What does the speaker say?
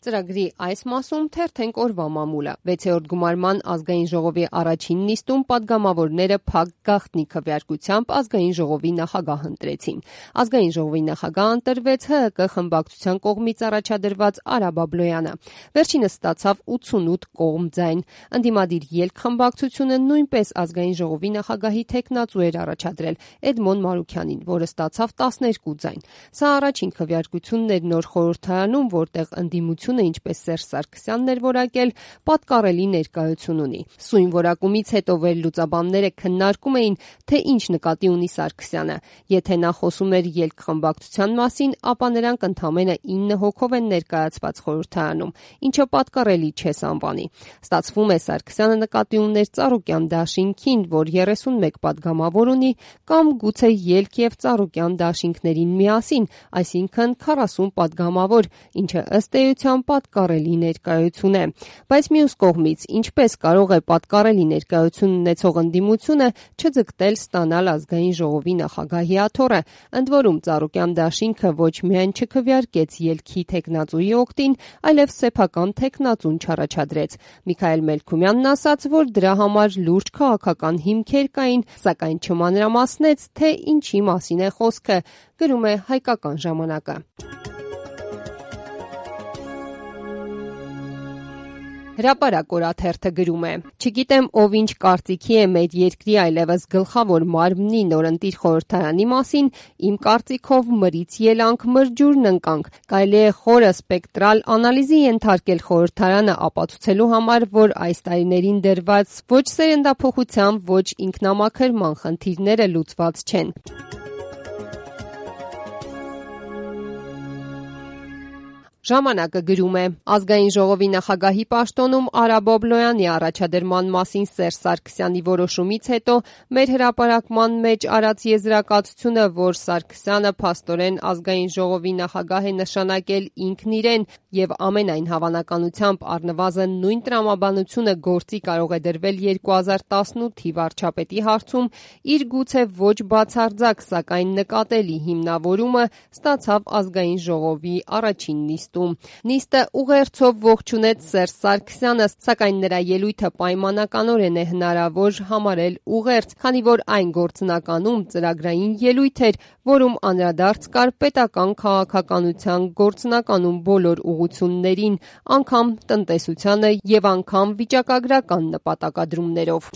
Ծրագրի այս մասում թերթենք օրվա մամուլը։ 6-րդ գումարման ազգային ժողովի առաջին նիստում падգամավորները փակ գաղտնի քվեարկությամբ ազգային ժողովի նախագահ ընտրեցին։ Ազգային ժողովի նախագահ ընտրվեց ՀՀԿ խմբակցության կողմից առաջադրված Արա Բաբլոյանը։ Վերջինս ստացավ 88 կողմ ձայն։ Ընդդիմադիր ելք խմբակցությունը նույնպես ազգային ժողովի նախագահի թեկնածու էր առաջադրել Էդմոն Մարուքյանին, որը ստացավ 12 ձայն։ Սա առաջին քվեարկությունն էր նոր խորհրդարանում, որտեղ ընդդիմությունը, ինչպես Սերժ Սարգսյանն էր որակել, պատկառելի ներկայություն ունի։ Սույն որակումից հետո վերլուծաբանները քննարկում էին, թե ինչ նկատի ունի Սարգսյանը։ Եթե նա խոսում էր ելք խմբակցության մասին, ապա նրանք ընդամենը 9 հոգով են ներկայացված խորհրդարանում, ինչը պատկառելի չէ անվանի։ Ստացվում է, Սարգսյանը նկատի ուներ Ծառուկյան դաշինքին, որ 31 падգամավոր ունի, կամ գուցե ելք եւ Ծառուկյան դաշինքներին միասին, այսինքն 40 падգամավոր, ինչը ըստ էության պատկառելի ներկայություն է։ Բայց մյուս կողմից, ինչպես կարող է պատկառելի ներկայություն ունեցող ընդդիմությունը չձգտել ստանալ ազգային ժողովի նախագահի աթոռը, ընդ որում Ծառուկյան դաշինքը ոչ միայն չքվեարկեց ելքի թեկնածուի օգտին, այլև սեփական թեկնածուն չառաջադրեց։ Միքայել Մելքումյանն ասաց, որ դրա համար լուրջ քաղաքական հիմքեր կային, սակայն չմանրամասնեց, թե ինչի մասին է խոսքը, գրում է Հայկական ժամանակը։ Հրապարակ օրաթերթը գրում է. «Չգիտեմ ով ինչ կարծիքի է մեր երկրի այլևս գլխավոր մարմնի նորընտիր խորհրդարանի մասին, իմ կարծիքով մրից ելանք, մրջուրն ընկանք։ Կարելի է խորը սպեկտրալ անալիզի ենթարկել խորհրդարանը ապացուցելու համար, որ այս տարիներին դրված ոչ սերնդափոխության, ոչ ինքնամաքրման խնդիրները լուծված չեն»։ Ժամանակը գրում է. ազգային ժողովի նախագահի պաշտոնում Արա Բաբլոյանի առաջադրման մասին Սերժ Սարգսյանի որոշումից հետո մեր հրապարակման մեջ արած եզրակացությունը, որ Սարգսյանը փաստորեն ազգային ժողովի նախագահ է նշանակել ինքն իրեն եւ ամենայն հավանականությամբ առնվազն նույն տրամաբանությունը գործի կարող է դրվել 2018-ի վարչապետի հարցում, իր գուցե ոչ բացարձակ, սակայն նկատելի հիմնավորումը ստացավ ազգային ժողովի առաջին նիստում։ Նիստը ուղերձով ողջունեց Սերժ Սարգսյանը, սակայն նրա ելույթը պայմանականորեն է հնարավոր համարել ուղերձ, քանի որ այն գործնականում ծրագրային ելույթ էր, որում անդրադարձ կար պետական քաղաքականության գործնականում բոլոր ուղղություններին, անգամ տնտեսությանը եւ անգամ վիճակագրական նպատակադրումներով։